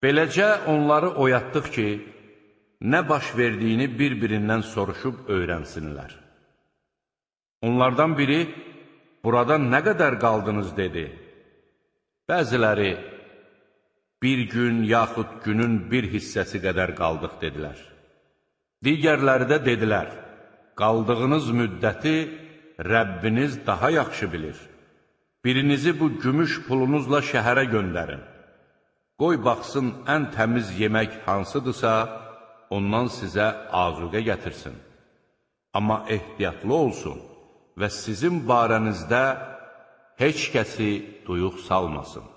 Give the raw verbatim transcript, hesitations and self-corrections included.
Beləcə onları oyatdıq ki, nə baş verdiyini bir-birindən soruşub öyrənsinlər. Onlardan biri, burada nə qədər qaldınız, dedi. Bəziləri, bir gün yaxud günün bir hissəsi qədər qaldıq, dedilər. Digərləri də dedilər, qaldığınız müddəti Rəbbiniz daha yaxşı bilir. Birinizi bu gümüş pulunuzla şəhərə göndərin. Qoy baxsın ən təmiz yemək hansıdırsa, ondan sizə azuqə gətirsin. Amma ehtiyatlı olsun və sizin barənizdə heç kəsi duyuq salmasın.